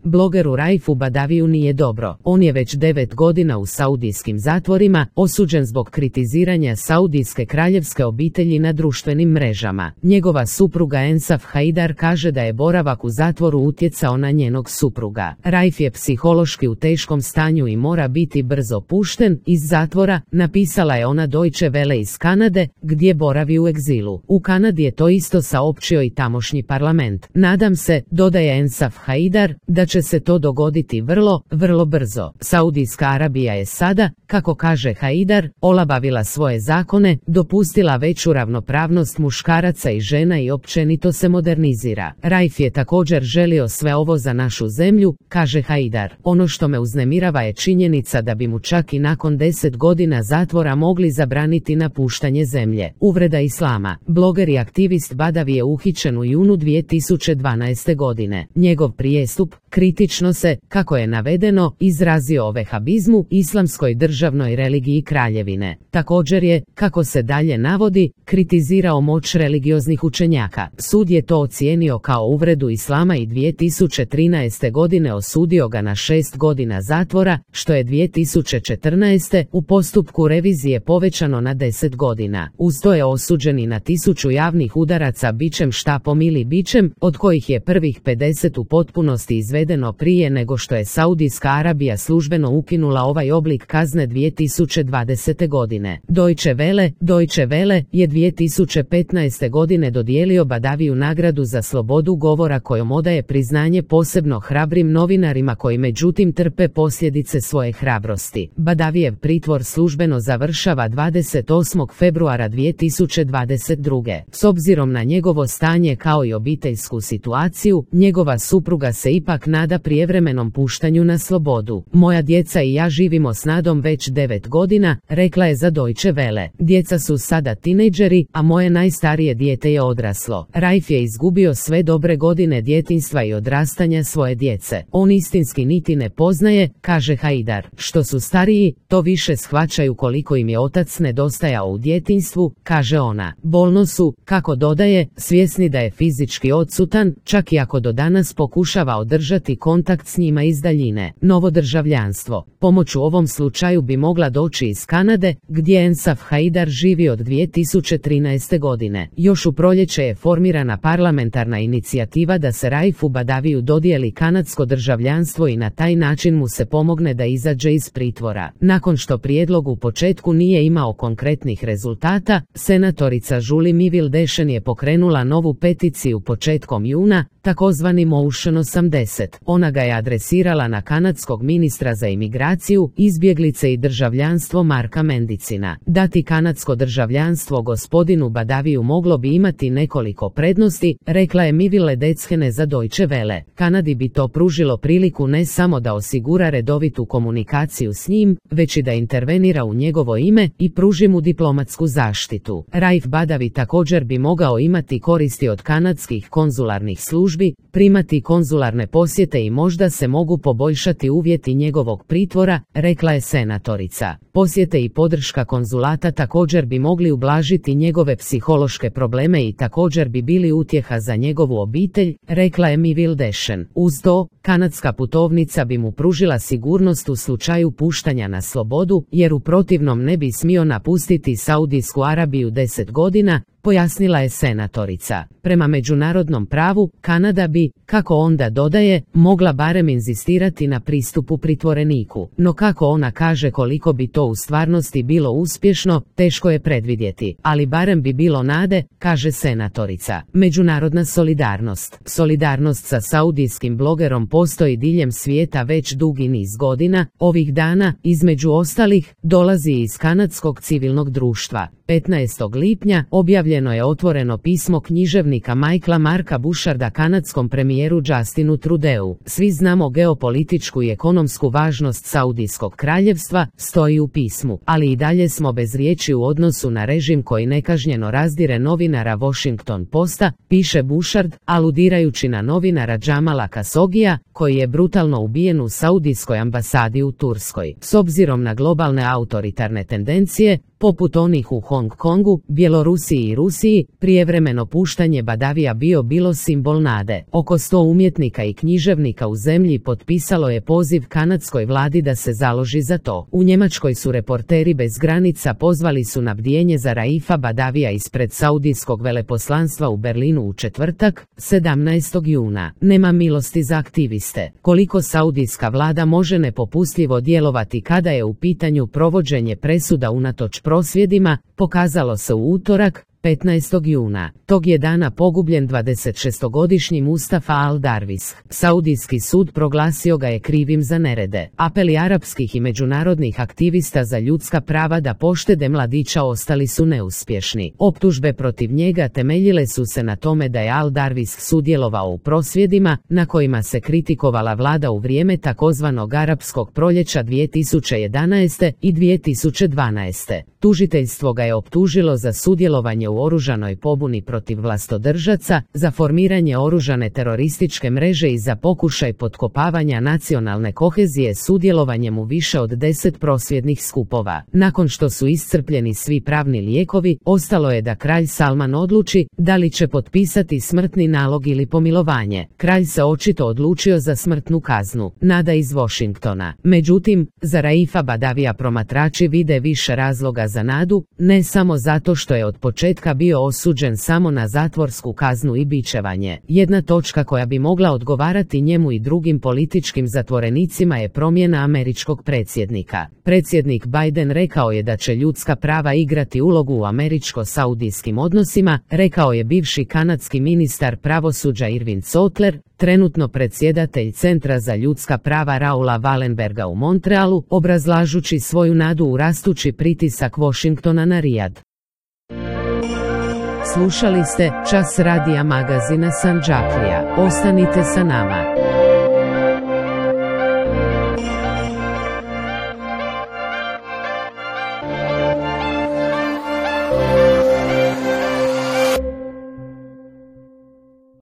blogeru Raifu Badaviju nije dobro. On je već 9 godina u saudijskim zatvorima, osuđen zbog kritiziranja saudijske kraljevske obitelji na društvenim mrežama. Njegova supruga Ensaf Haidar kaže da je boravak u zatvoru utjecao na njenog supruga. Raif je psihološki u teškom stanju i mora biti brzo pušten iz zatvora, napisala je ona Deutsche Welle iz Kanade, gdje boravi u egzilu. U Kanadi je to isto saopćio i tamošnji parlament. Nadam se, dodaje Ensaf Haidar, da će se to dogoditi vrlo brzo. Saudijska Arabija je sada, kako kaže Haidar, olabavila svoje zakone, dopustila veću ravnopravnost muškaraca i žena i općenito se modernizira. Raif je također želio sve ovo za našu zemlju, kaže Haidar. Ono što me uznemirava je činjenica da bi mu čak i nakon 10 godina zatvora mogli zabraniti napuštanje zemlje. Uvreda islama. Bloger i aktivist Badavi je uhićen u junu 2012. godine. Njegov prijestup, kritično se, kako je navedeno, izrazio o vehabizmu, islamskoj državnoj religiji kraljevine. Također je, kako se dalje navodi, kritizirao moć religioznih učenjaka. Sud je to ocijenio kao uvredu islama i 2013. godine osudio ga na 6 godina zatvora, što je 2014. u postupku revizije povećano na 10 godina. Uz to je osuđen i na 1000 javnih udaraca bičem, štapom ili bičem, od kojih je prvih 50 u potpunosti izvedeno prije nego što je Saudijska Arabija službeno ukinula ovaj oblik kazne 2020. godine. Deutsche Welle je 2015. godine dodijelio Badaviju nagradu za slobodu govora kojom odaje priznanje posebno hrabrim novinarima koji međutim trpe posljedice svoje hrabrosti. Badavijev pritvor službeno završava 28. februara 2022. S obzirom na njegovo stanje kao i obiteljsku situaciju, njegova supruga se ipak nada prijevremenom puštanju na slobodu. Moja djeca i ja živimo s nadom već 9 godina, rekla je za Deutsche Welle. Djeca su sada tinejdžeri, a moje najstarije dijete je odraslo. Raif je izgubio sve dobre godine djetinjstva i odrastanja svoje djece. On istinski niti ne poznaje, kaže Haidar. Što su stariji, to više shvaćaju koliko im je otac nedostajao u djetinjstvu, kaže ona. Bolno su, kako dodaje, svjesni da je fizički odsutan, čak i ako do danas pokušava održati kontakt s njima iz daljine. Novo državljanstvo. Pomoć u ovom slučaju bi mogla doći iz Kanade, gdje Ensaf Haidar živi od 2013. godine. Još u proljeće je formirana parlamentarna inicijativa da se Raifu Badaviju dodijeli kanadsko državljanstvo i na taj način mu se pomogne da izađe iz pritvora. Nakon što prijedlog u početku nije imao konkretnih rezultata, senatorica Julie Miville Deschene je pokrenula novu peticiju početkom juna, takozvani Motion 80. Ona ga je adresirala na kanadskog ministra za imigraciju, izbjeglice i državljanstvo Marka Mendicina. Dati kanadsko državljanstvo gospodinu Badaviju moglo bi imati nekoliko prednosti, rekla je Miville Deschene za Deutsche Welle. Kanadi bi to pružilo priliku ne samo da osigura redovitu komunikaciju s njim, već i da intervenira u njegovo ime i pruži mu diplomatsku zaštitu. Raif Badavi također bi mogao imati koristi od kanadskih konzularnih službi, primati konzularne posjete i možda se mogu poboljšati uvjeti njegovog pritvora, rekla je senatorica. Posjete i podrška konzulata također bi mogli ublažiti njegove psihološke probleme i također bi bili utjeha za njegovu obitelj, rekla je Miville Deschene. Uz to, kanadska putovnica bi mu pružila sigurnost u slučaju puštanja na slobodu, jer u protivnom ne bi smio napustiti Saudijsku Arabiju 10 godina, pojasnila je senatorica. Prema međunarodnom pravu, Kanada bi, kako onda dodaje, mogla barem inzistirati na pristupu pritvoreniku. No kako ona kaže koliko bi to u stvarnosti bilo uspješno, teško je predvidjeti, ali barem bi bilo nade, kaže senatorica. Međunarodna solidarnost. Solidarnost sa saudijskim blogerom postoji diljem svijeta već dugi niz godina. Ovih dana, između ostalih, dolazi iz kanadskog civilnog društva. 15. lipnja objavljeno je otvoreno pismo književnika Michaela Marka Busharda kanadskom premijeru Justinu Trudeau. Svi znamo geopolitičku i ekonomsku važnost Saudijskog kraljevstva, stoji u pismu, ali i dalje smo bez riječi u odnosu na režim koji nekažnjeno razdire novinara Washington Posta, piše Bushard, aludirajući na novinara Jamala Khashoggia, koji je brutalno ubijen u Saudijskoj ambasadi u Turskoj. S obzirom na globalne autoritarne tendencije, poput onih u Hong Kongu, Bjelorusiji i Rusiji, prijevremeno puštanje Badavija bilo simbol nade. Oko 100 umjetnika i književnika u zemlji potpisalo je poziv kanadskoj vladi da se založi za to. U Njemačkoj su Reporteri bez granica pozvali su na bdijenje za Raifa Badavija ispred saudijskog veleposlanstva u Berlinu u četvrtak, 17. juna. Nema milosti za aktiviste. Koliko saudijska vlada može nepopustljivo djelovati kada je u pitanju provođenje presuda unatoč prosvjedima, pokazalo se u utorak, 15. juna. Tog je dana pogubljen 26-godišnji Mustafa al-Darvis. Saudijski sud proglasio ga je krivim za nerede. Apeli arapskih i međunarodnih aktivista za ljudska prava da poštede mladića ostali su neuspješni. Optužbe protiv njega temeljile su se na tome da je al-Darvis sudjelovao u prosvjedima, na kojima se kritikovala vlada u vrijeme takozvanog arapskog proljeća 2011. i 2012. Tužiteljstvo ga je optužilo za sudjelovanje u oružanoj pobuni protiv vlastodržaca, za formiranje oružane terorističke mreže i za pokušaj potkopavanja nacionalne kohezije sudjelovanjem u više od 10 prosvjednih skupova. Nakon što su iscrpljeni svi pravni lijekovi, ostalo je da kralj Salman odluči da li će potpisati smrtni nalog ili pomilovanje. Kralj se očito odlučio za smrtnu kaznu. Nada iz Washingtona. Međutim, za Raifa Badavija promatrači vide više razloga za nadu, ne samo zato što je od početka bio osuđen samo na zatvorsku kaznu i bičevanje. Jedna točka koja bi mogla odgovarati njemu i drugim političkim zatvorenicima je promjena američkog predsjednika. Predsjednik Biden rekao je da će ljudska prava igrati ulogu u američko-saudijskim odnosima, rekao je bivši kanadski ministar pravosuđa Irvin Sotler, trenutno predsjedatelj Centra za ljudska prava Raula Wallenberga u Montrealu, obrazlažući svoju nadu u rastući pritisak Washingtona na Rijad. Slušali ste Čas radija magazina Sandžaklija. Ostanite sa nama.